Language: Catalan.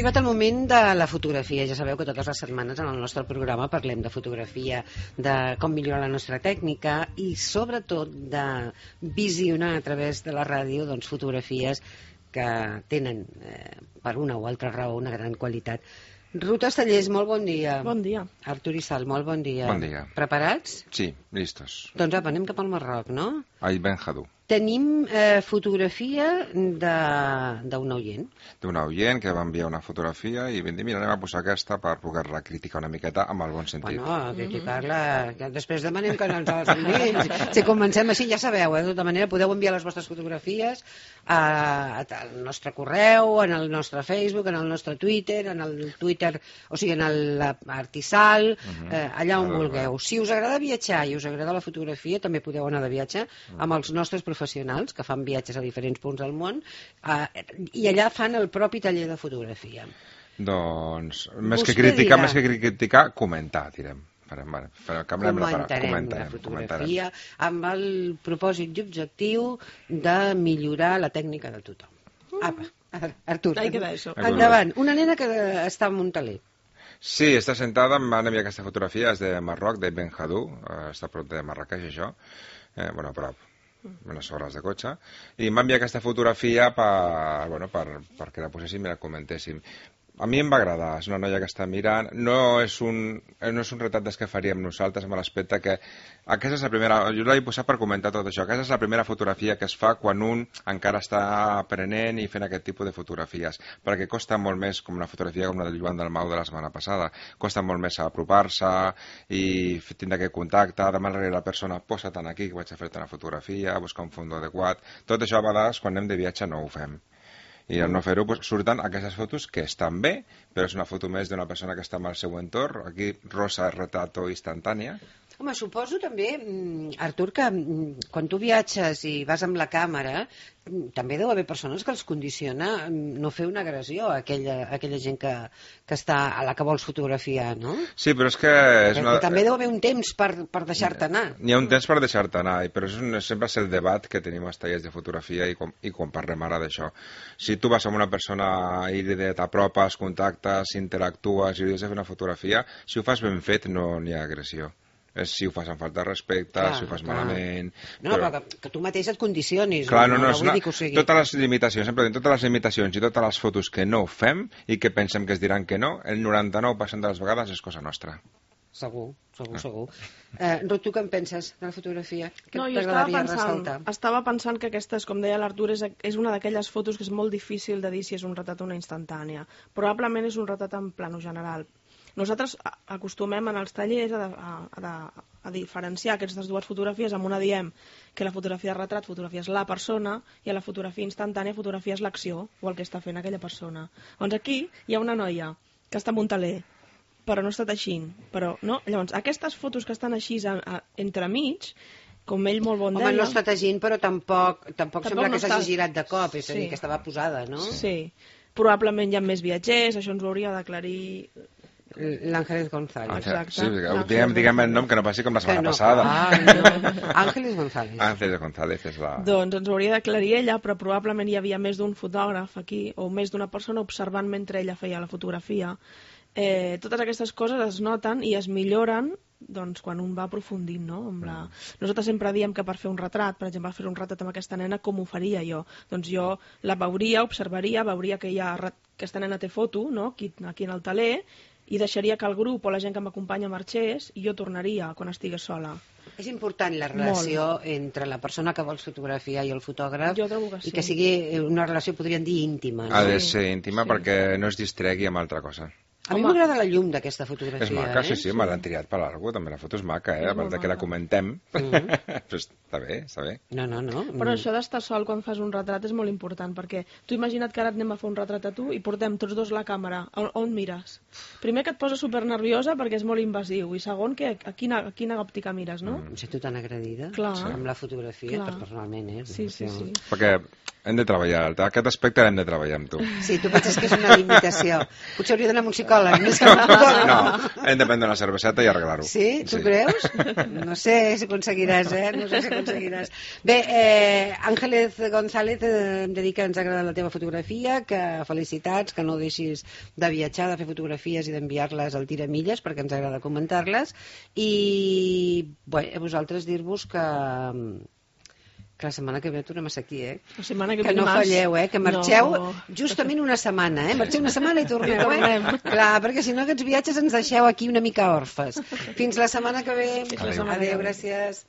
arribat el moment de la fotografia. Ja sabeu que totes les setmanes en el nostre programa parlem de fotografia, de com millorar la nostra tècnica i sobretot de visionar a través de la ràdio doncs, fotografies que tenen per una o altra raó una gran qualitat. Ruth Estellés, molt bon dia. Bon dia. Artur Isal, molt bon dia. Bon dia. Preparats? Sí, listos. Doncs apa, anem cap al Marroc, no? Ai Ben Hadou. Tenim fotografia d'un oient. D'un oient que va enviar una fotografia i vam dir, mira, anem a posar aquesta per poder-la criticar una miqueta amb el bon sentit. Bueno, criticar-la, que després demanem que ens els enviïn. Si comencem així, ja sabeu, de tota manera podeu enviar les vostres fotografies al nostre correu, en el nostre Facebook, en el nostre Twitter, en el Twitter, o sigui, en l'Artisal, allà on vulgueu. Si us agrada viatjar i us agrada la fotografia, també podeu anar de viatge amb els nostres professionals que fan viatges a diferents punts del món i allà fan el propi taller de fotografia. Doncs, més que criticar, comentar, direm. Comentarem la fotografia amb el propòsit i objectiu de millorar la tècnica de tothom. Apa, Artur, endavant. Una nena que està en un taler. Sí, està sentada, em van enviar aquesta fotografia, és de Marroc, de Ben Hadou, està a prop de Marrakeix, això, bueno, a prop, unes hores de cotxe, i em va enviar aquesta fotografia perquè la poséssim i la comentéssim. A mi em va agradar, és una noia que està mirant, no és un retrat des que faríem nosaltres, amb l'aspecte que aquesta és la primera, jo l'he posat per comentar tot això, aquesta és la primera fotografia que es fa quan un encara està aprenent i fent aquest tipus de fotografies, perquè costa molt més, com una fotografia com la del Joan Dalmau de la setmana passada, costa molt més apropar-se i tindre aquest contacte, demanar-li a la persona, posa-te'n aquí que vaig a fer-te una fotografia, buscar un fons adequat, tot això a vegades quan anem de viatge no ho fem. I al no fer-ho surten aquestes fotos que estan bé, però és una foto més d'una persona que està en el seu entorn. Aquí, rosa, retrato instantània. Home, suposo també, Artur, que quan tu viatges i vas amb la càmera, també deu haver persones que els condiciona no fer una agressió a aquella gent que està a la que vols fotografiar, no? Sí, però és que... També deu haver un temps per deixar-te anar. N'hi ha un temps per deixar-te anar, però sempre és el debat que tenim als tallers de fotografia i quan parlem ara d'això. Si tu vas amb una persona i t'apropes, contactes, interactues i li has de fer una fotografia, si ho fas ben fet no n'hi ha agressió. És si ho fas amb falta de respecte, si ho fas malament... No, però que tu mateix et condicionis. Clar, no, totes les limitacions, sempre totes les limitacions i totes les fotos que no fem i que pensem que es diran que no, el 99% de les vegades és cosa nostra. Segur. Ruth, tu què en penses de la fotografia? No, jo estava pensant que aquesta, com deia l'Artur, és una d'aquelles fotos que és molt difícil de dir si és un retrat o una instantània. Probablement és un retrat en plano general. Nosaltres acostumem en els tallers a diferenciar aquestes dues fotografies. Amb una diem que la fotografia de retrat fotografies la persona i a la fotografia instantània fotografies l'acció o el que està fent aquella persona. Doncs aquí hi ha una noia que està en un taler, però no està teixint. No? Llavors, aquestes fotos que estan així entremig, com ell molt bon deia... Home, no està teixint, però tampoc sembla que s'hagi girat de cop, és a dir, que estava posada, no? Sí. Probablement hi ha més viatgers, això ens ho hauria d'aclarir... L'Ángeles González. Sí, diguem el nom que no passi com la setmana passada. Ángeles González. Ángeles González és la... Doncs ens ho hauria d'aclarir ella, però probablement hi havia més d'un fotògraf aquí, o més d'una persona observant mentre ella feia la fotografia. Totes aquestes coses es noten i es milloren doncs, quan un va aprofundint, no? Nosaltres sempre diem que per fer un retrat, per exemple, fer un retrat amb aquesta nena, com ho faria jo? Doncs jo la veuria, observaria, veuria que aquesta nena té foto, no? Aquí en el taler, i deixaria que el grup o la gent que m'acompanya marxés i jo tornaria quan estigués sola. És important la relació entre la persona que vols fotografiar i el fotògraf. Jo trobo que sí. I que sigui una relació, podríem dir, íntima. Ha de ser íntima perquè no es distregui amb altra cosa. A mi m'agrada la llum d'aquesta fotografia. És maca, sí, me l'han triat per alguna cosa, també la foto és maca, a part que la comentem. Però està bé. No. Però això d'estar sol quan fas un retrat és molt important, perquè tu imagina't que ara anem a fer un retrat a tu i portem tots dos la càmera. On mires? Primer que et posa supernerviosa perquè és molt invasiu, i segon que a quina òptica mires, no? Em sento tan agredida amb la fotografia, personalment, Sí. Perquè Hem de treballar, aquest aspecte l'hem de treballar amb tu. Sí, tu penses que és una limitació. Potser hauria d'anar amb un psicòleg, més que amb un podòleg. No, hem de prendre una cerveseta i arreglar-ho. Sí? Tu creus? No sé si aconseguiràs, No sé si aconseguiràs. Bé, Àngeles González, em dedica que ens agrada la teva fotografia, que felicitats, que no deixis de viatjar, de fer fotografies i d'enviar-les al Tiramilles, perquè ens agrada comentar-les. I bé, a vosaltres dir-vos que la setmana que ve tornem a ser aquí, La setmana que no dimarts... falleu, que marxeu justament una setmana, Marxeu una setmana i torneu, Clar, perquè si no aquests viatges ens deixeu aquí una mica orfes. Fins la setmana que ve. Adéu, gràcies.